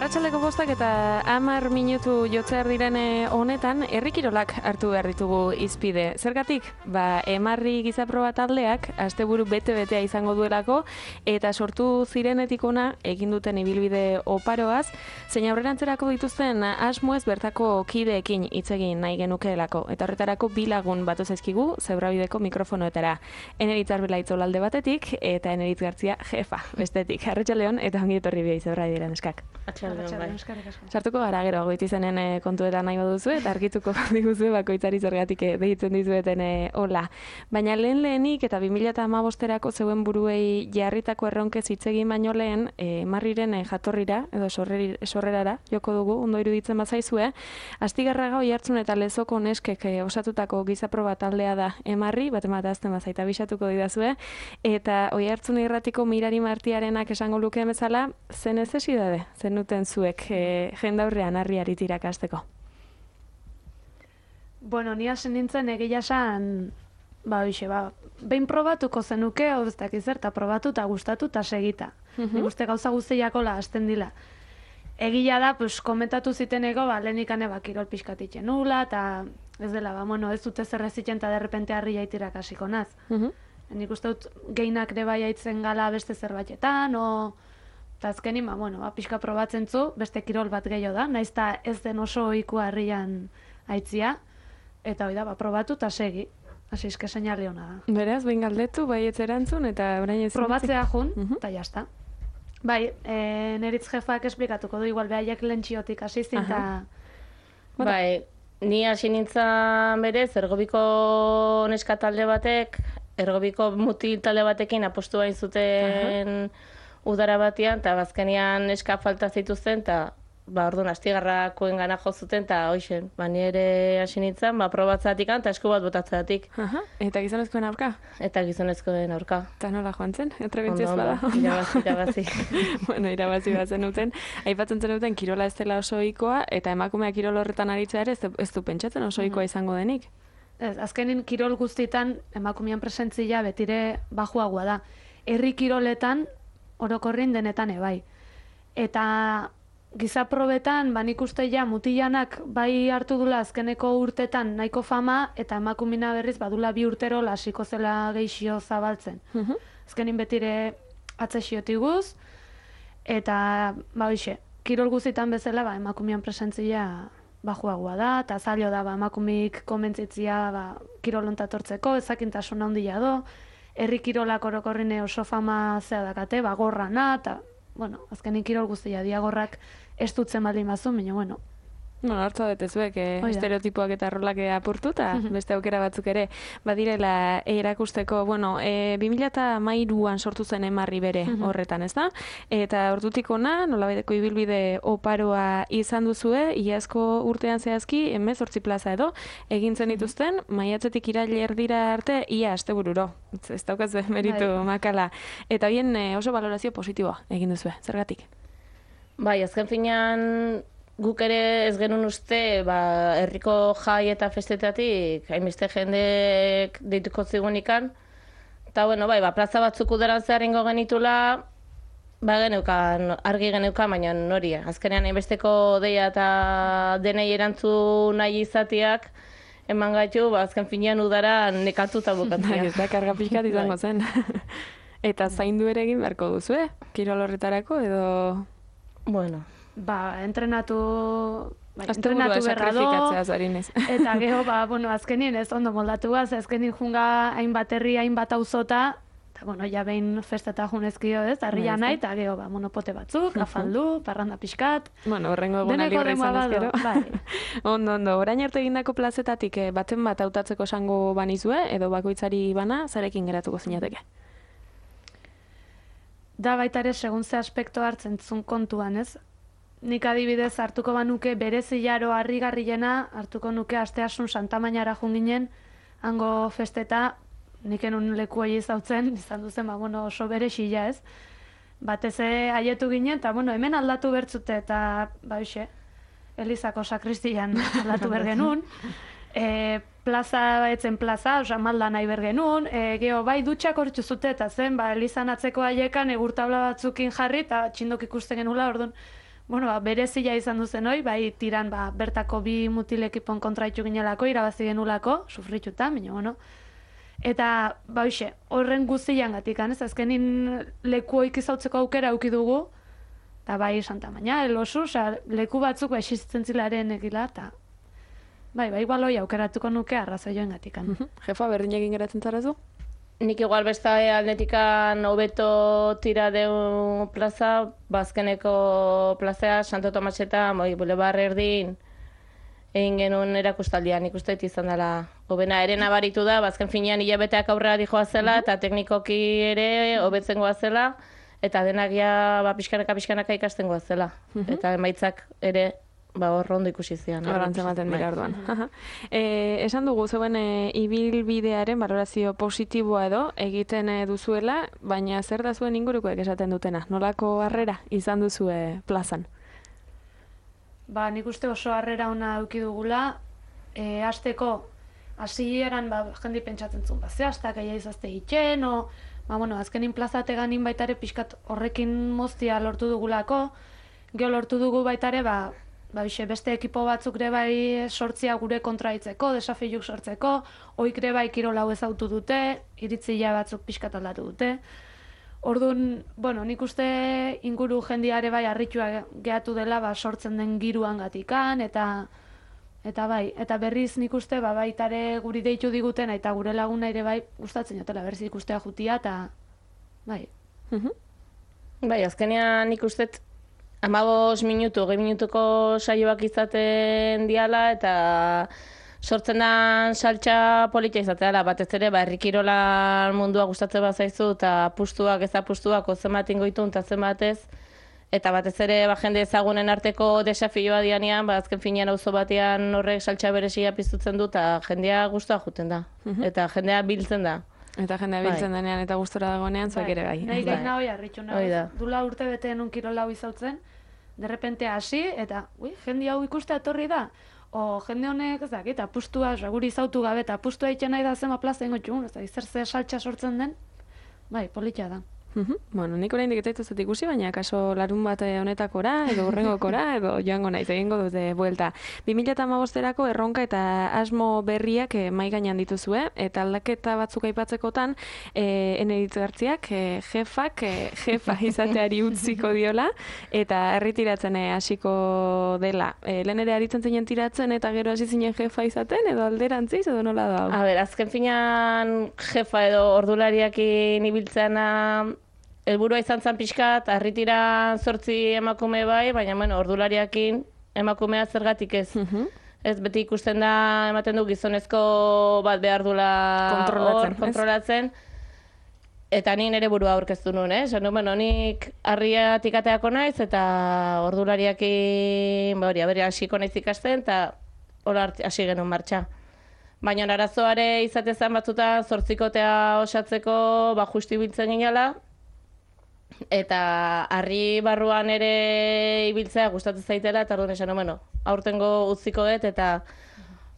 Arratsaldeko 5 eta 10 minutu jotzear diren honetan, herri kirolak hartu behar ditugu hizpide. Zergatik? Emarri gizaproba taldeak asteburu bete-betea izango duelako eta sortu zirenetik ona egin duten ibilbide oparoaz, zein aurrerantzerako dituzten asmoez bertako kideekin hitz egin nahi genukeelako. Eta horretarako bi lagun batu zaizkigu Zebrabideko mikrofonoetara. Eneritz Arbelaitz Olalde batetik eta Eneritz Gartzia jefa bestetik. Arratsaldeon eta ongi etorri biai Zebrabideren eskak. Sartuko gara gero goitizenen kontuetan nahi baduzu eta argituko diguzue bakoitzari zergatik deitzen dizueten hola. Baina lehenik eta 2015erako zeuen buruei jarritako erronkez hitz egin baino lehen Emarriren jatorrira edo sorrerara joko dugu, ondo iruditzen bazaizue. Astigarraga Oiartzun eta Lezoko neskek osatutako gizaproba taldea da Emarri, bat azten bazaita bisatuko didazue, eta Oiartzun irratiko Mirari Martiarenak esango lukeen bezala, zen necesidade, zenuten zuek jendaurrean harriari tirakasteko? Bueno, ni hasi nintzen egia esan, behin probatuko zenuke, hau ez dakiz eta probatu eta gustatu eta segita. Nik uste gauza guztiakola hasten dila. Egia da, komentatu ziteneko, lehenikane kirol pixkatitzen nula, eta ez dela, ez dute zerrezitzen eta derrepente harria itirakasiko naz. Nik uste dut geinak ere bai aitzen gala beste zerbaitetan, eta azkenin, pixka probatzen zu, beste kirol bat gehiago da, naiz eta ez den oso ohikoa harrian aitzia, eta hori da, probatu eta segi. Hasi izke seinale hona da. Beraz, behin galdetu, bai etzerantzun, eta orain ez... Probatzea jun, eta jazta. Bai, Neritz jefak esplikatuko du, igual behaiek lentxiotik hasi zin, eta... Bai, ni hasi nintzen berez, ergobiko neska talde batek, ergobiko mutil talde batekin apostu bain zuten udara batean, eta bazkenian neska falta zituzten, eta orduan astigarrakoen gana jo zuten, eta hoxen, ni ere hasi nintzen, probatzatik eta esku bat botatzatik. Eta gizonezkoen aurka? Eta gizonezkoen aurka. Eta nola joan zen? Trebentziaz bada? Irabazi. Irabazi bat zenuten. Aipatzen zenuten kirola ez dela oso ohikoa, eta emakumea kirol horretan aritzea ere ez du pentsatzen oso ohikoa izango denik. Ez, azkenin kirol guztietan emakumean presentzia betire bajuagoa da. Herri kiroletan orokorrin denetan ebai. Eta gizaprobetan, nik uste mutilanak bai hartu dula azkeneko urtetan nahiko fama, eta emakumina berriz badula 2 urtero hasiko zela geixio zabaltzen. Azkenin betire atzexiotiguz, eta kirol guztietan bezala emakumean presentzia bajuagoa da, eta zailo da emakumik komentzitzia kirol ontatortzeko, ezakintasun handia do, herri kirolak orokorrine oso fama zea dakate, gorrana, eta azkenin kirol guztia diagorrak ez dutzen baldin bazu, baina hartza detezuek estereotipoak eta rolak apurtu, eta beste aukera batzuk ere badirela erakusteko. 2013an sortu zen Emarri bere horretan, ez da? Eta ordutik ona, nolabaiteko ibilbide oparoa izan duzue, iazko urtean zehazki, 18 plaza edo, egin zen dituzten, maiatzetik irail erdira arte, ia astebururo. Ez daukaz meritu makala. Eta bien oso valorazio positiboa egin duzue, zergatik? Bai, azken finean guk ere ez genuen uste, herriko jai eta festetatik, hainbeste jendek deituko zigunikan. Eta, plaza batzuk udaran zeharengo genitula, argi geneukan, baina nori. Azkenean hainbesteko deia eta denei erantzu nahi izatiak, eman gaitu, azken finean udaran nekatuta bukatzea. Ez da, karga pixkat izango zen. Eta zaindu ere egin beharko duzue, kirol horretarako, edo... Entrenatu berra do, eta geho, azkenien ez ondo moldatuaz, azkenien junga hainbat herri, hainbat auzota, eta behin festeta junezkio ez, harria nahi, eta geho, monopote batzuk, afaldu, parranda pixkat. Horrengo eguna libre izan ezkero. Ondo, orain arte egindako plazetatik baten bat hautatzeko esango banizue, edo bakoitzari bana, zarekin geratuko zinateke? Da baita ere, segun ze aspekto hartzen zun kontuan, ez? Nik adibidez hartuko banuke berezilaro harrigarriena, hartuko nuke asteasun Santamainara junginen, hango festeta, nik enun leku hori izautzen, izan duzen, oso berezila ez. Batez haietu ginen, eta hemen aldatu bertzute, eta Elizako sakristian aldatu bergenun. Plaza etzen plaza, malda nahi bergenun, geho dutxak hortzu zute, eta zen, Elizan atzeko haiekan egurtabla batzukin jarri, eta txindok ikusten genula, orduan, bueno, berezia izan duzen hoi, bai tiran bertako bi mutilekipon kontraitu ginelako, irabazi genulako, sufrituta, baina, bueno. Eta, hoxe, horren guztian gatikan, ez azkenin leku hoik izautzeko aukera auki dugu, eta bai Santa Maña, Elosu, leku batzuk existitzen zilaren egila, eta bai, igual hoi aukeratuko nuke arrazoioen gatikan. Jefa, berdin egin geratzen zarazu? Nik igual beste aldetikan hobeto tira deu plaza, bazkeneko plazea, Santo Tomas eta Boulevard erdin egin genuen erakustaldian, nik uste izan dela hobena ere nabaritu da, bazken finean hilabeteak aurrera dijoa zela, eta teknikoki ere hobetzen goa zela, eta denak ja pixkanaka ikasten goa zela. Eta emaitzak ere hor ondo ikusi zian. Horrantz ematen dira orduan. Esan dugu zeuen ibilbidearen balorazio positiboa edo egiten duzuela, baina zer da zuen ingurukoek esaten dutena? Nolako harrera izan duzue plazan? Nik uste oso harrera ona eduki dugula, hasteko hasieran jendi pentsatzen zuen, zehaztak aia izazte hitzen, azkenin plazateganin baitare pixkat horrekin moztia lortu dugulako, geho lortu dugu baitare, beste ekipo batzuk ere bai sortzia gure kontraitzeko, desafiuk sortzeko, oik ere bai kirolau ezautu dute, iritzia batzuk pixkat aldatu dute. Orduan, nik uste inguru jendiare bai harritua gehatu dela sortzen den giruan gatikan, eta bai, eta berriz nik uste baitare guri deitu diguten, eta gure laguna ere bai gustatzen jotela berriz ikustea jutia, eta bai. Bai, azkenean nik uste 15 minutu, 20 minutuko saioak izaten diala, eta sortzen da saltxa politia izatea, batez ere, herri kirolan mundua gustatzen bazaizu, eta apustuak ez apustuak zenbat ingoitun eta zenbat ez, eta batez ere jende ezagunen arteko desafioa dianean, azken finean auzo batean horrek saltxa berezia piztutzen du, eta jendea gustua juten da, eta jendea biltzen da. Eta jendea biltzen denean eta gustora dagoenean, zuek ere gai. Nahi gaina hoi harritxu nagoz. Dula urte beteen un kirola hoi zautzen, derrepente hasi, eta jende hau ikustea etorri da. Jende honek, ez dakit, apustua, guri zautu gabe, eta apustua egiten nahi da zema plaza ingo txugun, ez da, zer ze saltxa sortzen den, bai, politia da. Nik oraindik ez zaituzet ikusi, baina kaso larun bat honetakora, edo hurrengokora, edo joango naiz, egingo dute buelta. 2015erako erronka eta asmo berriak mahai gainean dituzue, eta aldaketa batzuk aipatzekotan, Eneritz Gartziak jefa izateari utziko diola, eta erritiratzen hasiko dela. Lehen ere aritzen zinen tiratzen, eta gero hasi zinen jefa izaten, edo alderantziz, edo nola da? Azken finean jefa edo ordulariakin ibiltzena helburua izan zen pixkat, harritiran 8 emakume bai, baina ordulariakin emakumea zergatik ez. Ez beti ikusten da, ematen du gizonezko bat behar dula kontrolatzen. Eta ni nire burua aurkeztu nuen, nik harriatik ateako naiz, eta ordulariakin hasiko naiz ikasten, eta hola hasi genuen martxa. Baina arazoare izatezan batzutan 8kotea osatzeko justu ibiltzen ginela, eta harri barruan ere ibiltzea gustatzen zaitela, eta orduan esan, aurtengo utziko dut, eta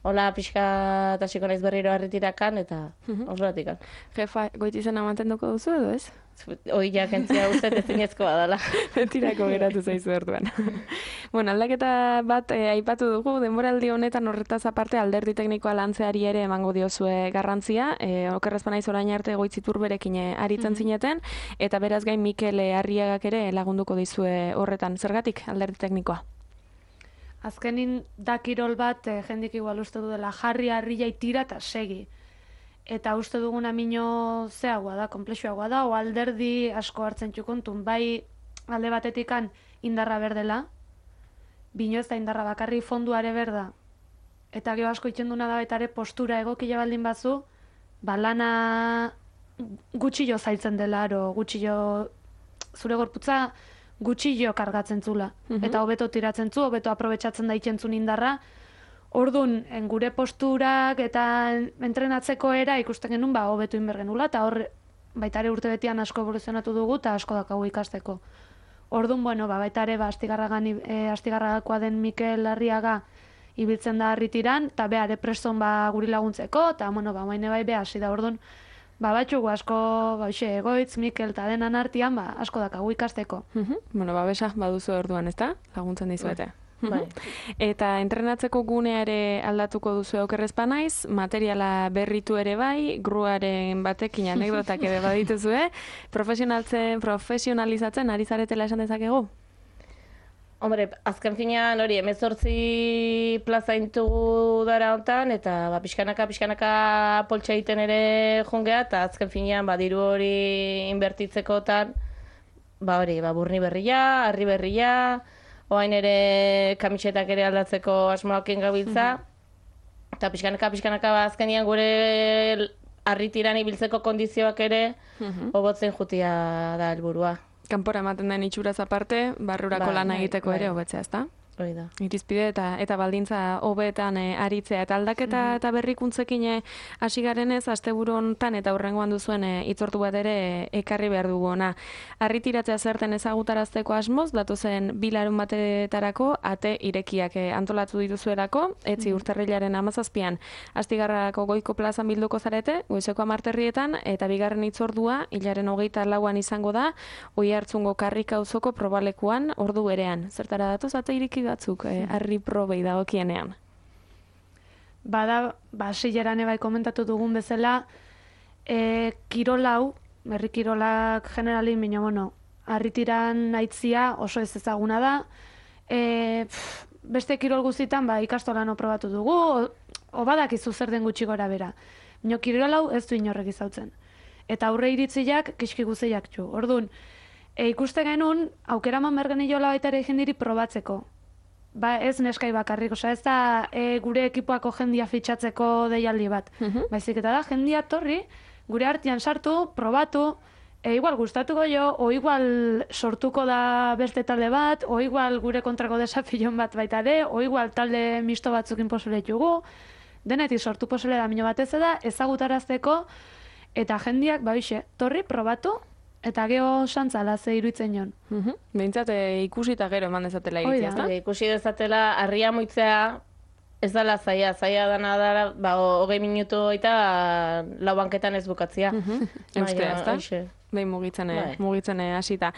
hola pixka eta hasiko naiz berriro harritirakan, eta horretikan. Jefa, goitizena mantenduko duzu edo ez? Hoi jakentzia uste ezinezkoa dela. Betirako geratu zaizu orduan. Aldaketa bat aipatu dugu, denboraldi honetan horretaz aparte alderdi teknikoa lantzeari ere emango diozue garrantzia, okerrezpa naiz orain arte Goitzitur berekin aritzen zineten, eta beraz gain Mikel Arriagak ere lagunduko dizue horretan. Zergatik alderdi teknikoa? Azkenin da kirol bat jendik igual uste du dela jarri harriai tira eta segi. Eta uste duguna mino zeagoa da, komplexuagoa da, o alderdi asko hartzen txukontun, bai alde batetikan indarra berdela, bino ez da indarra bakarri fonduare berda, eta geho asko itxenduna da baita ere postura egokila baldin bazu, lana gutxillo zailtzen dela, gutxillo zure gorputza gutxillo kargatzen zula, eta hobeto tiratzen zu, hobeto aprobetsatzen da itxentzun indarra. Orduan, gure posturak eta entrenatzeko era ikusten genuen hobetu inber genula, eta hor baita ere urte betian asko evoluzionatu dugu eta asko dakagu ikasteko. Orduan, baita ere astigarragakoa den Mikel Arriaga ibiltzen da harritiran, eta behar preston guri laguntzeko, eta maine bai hasi da. Orduan, batxugu asko, Egoitz, Mikel eta denan artean, asko dakagu ikasteko. Bueno, babesa baduzu orduan, ezta? Laguntzen dizuete. Bai. Eta entrenatzeko gunea ere aldatuko duzu okerrez banaiz, materiala berritu ere bai, gruaren batekin anekdotak ere badituzue, profesionalizatzen ari zaretela esan dezakegu? Hombre, azken finean hori 18 plaza intugu dara hontan, eta pixkanaka poltsa egiten ere jungea, eta azken finean diru hori inbertitzekotan, burni berria, harri berria, oain ere kamisetak ere aldatzeko asmoakin gabiltza, eta pixkanaka azkenian gure harritiran ibiltzeko kondizioak ere hobotzen jutia da helburua. Kanpora ematen den itxuraz aparte, barrurako lana egiteko ere hobetzea, ezta? Hori da. Irizpide eta baldintza hobeetan aritzea eta aldaketa eta berrikuntzekin hasi garenez asteburu hontan eta hurrengoan duzuen hitzordu bat ere ekarri behar dugu ona. Harritiratzea zerten ezagutarazteko asmoz datozen 2 larunbatetarako ate irekiak antolatu dituzuelako, etzi urtarrilaren 17an Astigarragako Goiko plazan bilduko zarete, goizeko 10 eta bigarren hitzordua hilaren 24an izango da, Oiartzungo Karrika auzoko probalekuan ordu berean. Zertara datoz ate ireki batzuk harri probei dagokienean. Bada, hasieran bai komentatu dugun bezala, kirol hau, herri kirolak generalin, baina harritiran aitzia oso ez ezaguna da. Beste kirol guztitan ikastolan probatu dugu, o badakizu zer den gutxi gora bera. Baina kirol hau ez du inorrek izautzen. Eta aurre iritziak kiski guztiak txu. Orduan, ikuste genuen, aukera man bergen iola baita ere jendiri probatzeko. Ez neskai bakarrik, ez da gure ekipoako jendia fitxatzeko deialdi bat. Baizik eta da, jendia torri, gure artean sartu, probatu, igual gustatuko jo, o igual sortuko da beste talde bat, o igual gure kontrako desafion bat baita ere, o igual talde misto batzukin posule jugu, denetik sortu posule da mino batez da, ezagutarazteko, eta jendiak, torri, probatu, eta geho santzala ze iruditzen jon. Behintzat ikusi eta gero eman dezatela iritzia, ezta? Ikusi dezatela, harria muitzea ez dala zaila dana dara, 20 minutu eta lau banketan ez bukatzia. Eustea, ezta? Behin mugitzen hasita.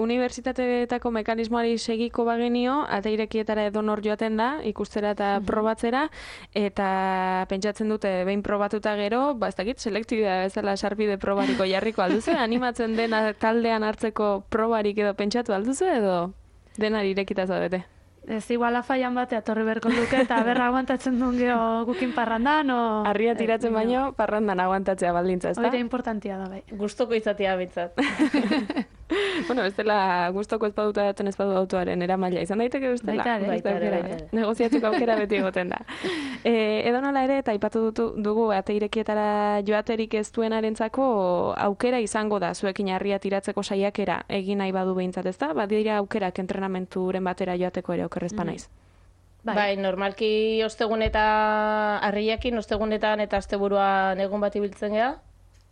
Unibertsitateetako mekanismoari segiko bagenio, ate irekietara edonor joaten da, ikustera eta probatzera, eta pentsatzen dute behin probatuta gero, ez dakit, selektibidea bezala sarbide probariko jarriko alduzu, animatzen dena taldean hartzeko probarik edo pentsatu alduzu edo denari irekita zaudete? Ez igual afaian batea torri berko luke eta berra aguantatzen duen geho gukin parrandan, o... Harria tiratzen baino, parrandan aguantatzea baldintza, ezta? Hori importantia da, bai. Gustoko izatea bintzat. Bueno, ez dela gustoko ez baduta daten ez badu autoaren eramaila. Izan daiteke bestela? Baita ere. Negoziatzeko aukera beti egoten da. Edo nola ere, eta aipatu dugu ate irekietara joaterik ez duenarentzako aukera izango da, zuekin harria tiratzeko saiakera egin nahi badu behintzat, ezta? Badira aukerak entrenamenturen batera joateko ere okerrez panaiz. Bai, normalki ostegun eta harriakin, ostegunetan eta asteburuan egun bat ibiltzen geha.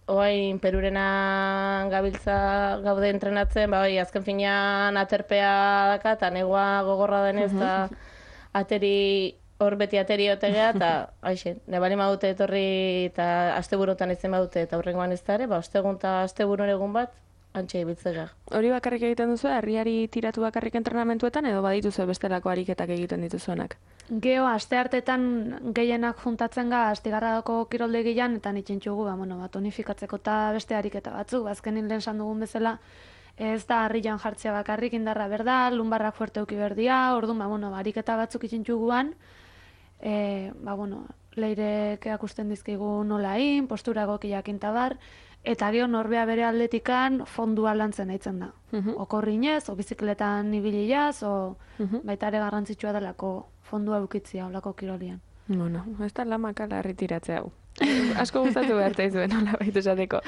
Oain Perurena gabiltza gaude entrenatzen, azken finean aterpea daka, eta negua gogorra denez, eta beti ateri otegea, eta nebali madute etorri, eta asteburutan ezen badute, eta horrengoan ez da ere, ostegun eta asteburun egun bat, antxe ibiltzea. Hori bakarrik egiten duzu, harriari tiratu bakarrik entrenamentuetan, edo badituzu bestelako ariketak egiten dituzuenak? Geho, aste hartetan gehienak juntatzen ga, Astigarragako kiroldegian, eta nitxintxugu, tonifikatzeko eta beste ariketa batzuk, azkenin lehen san dugun bezala, ez da harrian jartzea bakarrik indarra berda, lumbarrak fuerte uki berdia, orduan, ariketa batzuk itxintxuguan, leirek akusten dizkigu nolain, postura egokiak intabar, eta geho norbea bere aldetikan fondua lantzen aitzen da. Okorrinez, o bizikletan ibiliaz, o baita ere garrantzitsua delako fondua eukitzia olako kirolian. Bueno, ez da lamakala harritiratzea hau. Asko gustatu behar izuen, hola baitu esateko.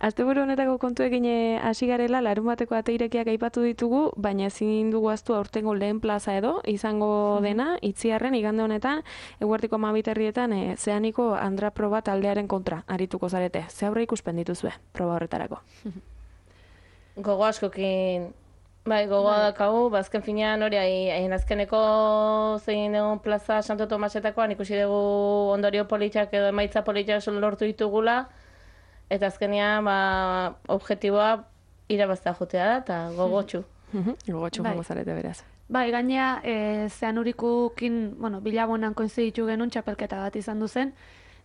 Asteburu honetako kontuekin hasi garela, larunbateko ate irekiak aipatu ditugu, baina ezin dugu ahaztu aurtengo lehen plaza edo, izango dena, Itziarren igande honetan, eguerdiko 12 zeaniko Andra proba taldearen kontra arituko zarete. Ze aurre ikusten dituzue, proba horretarako? Gogo askokin, gogoa dakagu, azken finean hori, hain azkeneko zein dugun plaza Santo Tomasetakoan ikusi dugu ondorio politak edo emaitza politak lortu ditugula, eta azkenean objektiboa irabazta jotea da, eta gogotxu. Gogotxu Bai. jongo zarete beraz. Bai, gainea, Zeanurikukin, bilabonan koinziditu genuen txapelketa bat izan duzen,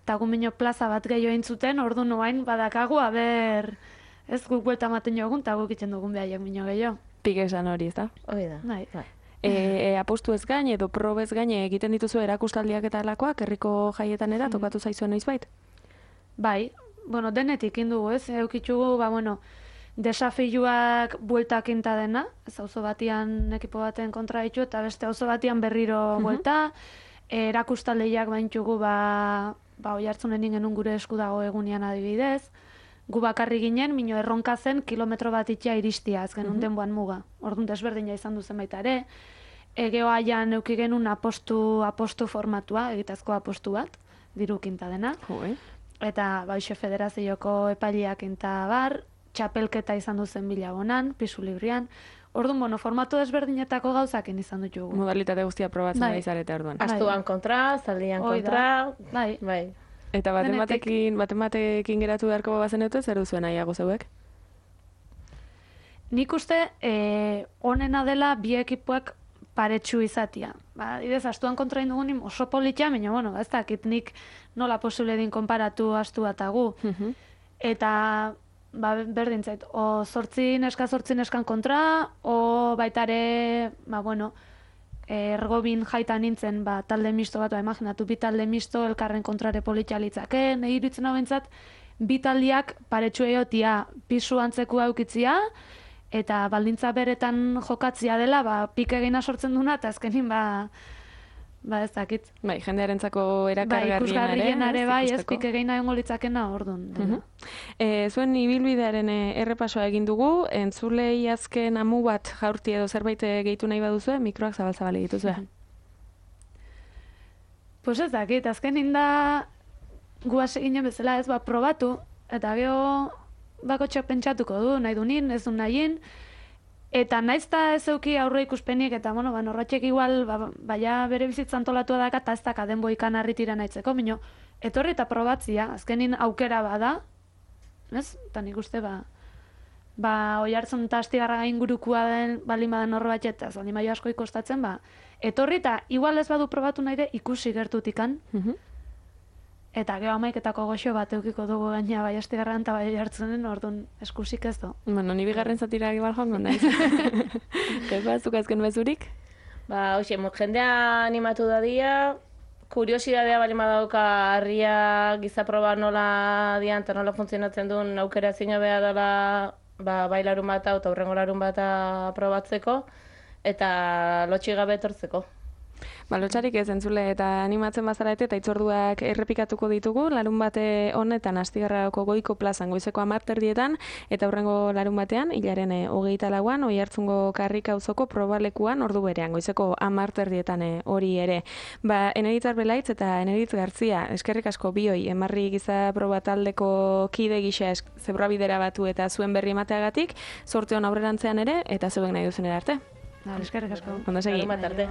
eta gumino plaza bat gehiago eintzuten, ordu noain badakagu, ez guk buelta ematen jogun, eta guk itzen dugun behaiek mino gehiago. Pik esan hori, ez da? Hori da. Bai. Apostu ez gain edo probez gain egiten dituzu erakustaldiak eta alakoak herriko jaietan era tokatu zaizuen noizbait? Bai, denetik indugu, ez? Eukitzugu, desafioak bueltak inta dena, ez auzo batian ekipo baten kontra ditu, eta beste auzo batian berriro buelta, erakustaldiak baintzugu, oihartzunen genuen gure esku dago egunean adibidez, gu bakarri ginen, mino erronka zen kilometro bat itxea iristia, ez genuen denboan muga. Orduan desberdina izan duzen baita ere. Geoaian euki genuen apostu formatua, egitazko apostu bat, diru kinta dena. Eta Baixe Federazioko epaileak inta bar, txapelketa izan duzen bilabonan, pisu librian. Orduan, formatu desberdinetako gauzakin izan ditugu. Modalitate guztia probatzen da izarete orduan. Astuan kontra, zaldian kontra. Bai. Eta baten geratu beharko bazenetu, zer duzuen nahiago zeuek? Nik uste, onena dela bi ekipoak paretsu izatia. Idez, astuan kontra indugunin oso politia, baina, ez dakit nik nola posible din konparatu astua eta gu. Eta, berdin zait, o zortzi neskan kontra, o baitare, ergobin jaitan nintzen, talde misto bat, imaginatu, bi talde misto elkarren kontrare politia litzake, nahi iruditzen hau bentsat, bi taldiak paretsu egotia pisu antzekua eukitzia, eta baldintza beretan jokatzia dela, pik egina sortzen duna, eta azkenin, ez dakit. Bai, jendearentzako erakargarrien ere, ez pik egina egongo litzakena orduan. Zuen ibilbidearen errepasoa egin dugu, entzulei azken amu bat jaurti edo zerbait gehitu nahi baduzue, mikroak zabal-zabal dituzue. Pues ez dakit, azkenin da guaz eginen bezala ez probatu, eta geho bakotxak pentsatuko du, nahi du nin, ez du nahin, eta naizta ez euki aurre ikuspenik, eta norratxek igual, baina bere bizitza antolatua daka, eta ez daka denbo ikan harritira nahitzeko, minio, etorri eta probatzia, azkenin aukera bada, ez? Eta nik uste, oihartzun eta astigarra ingurukua den balin badan horre bat eta zaldi maio asko ikostatzen, etorri eta igual ez badu probatu nahi de ikusi gertutikan, eta geho amaiketako goxo bat eukiko dugu gaina bai astigarran eta bai oihartzunen, orduan eskusik ez du. Ni bigarren zatira egibal joango naiz. Kepa, zuk azken bezurik? Jendea animatu dadia, kuriosidadea bali madauka harria gizaproba nola dian eta nola funtzionatzen duen aukera zina beha dela bai larun bata eta hurrengo larun bata probatzeko eta lotxi gabe etortzeko. Lotxarik ez entzule eta animatzen bazarete eta itzorduak errepikatuko ditugu, larun bate honetan Astigarragako Goiko plazan goizeko 10:00 eta hurrengo larun batean, hilaren 24an, Oihartzungo Karrika auzoko probalekuan ordu berean, goizeko 10:00 hori ere. Eneritz Arbelaitz eta Eneritz Gartzia, eskerrik asko bioi, Emarri giza proba taldeko kide gisa zebrabidera batu eta zuen berri emateagatik, zorte hon aurrerantzean ere, eta zeuek nahi duzen arte. Eskerrik asko. Ondo segi. Larun bat arte.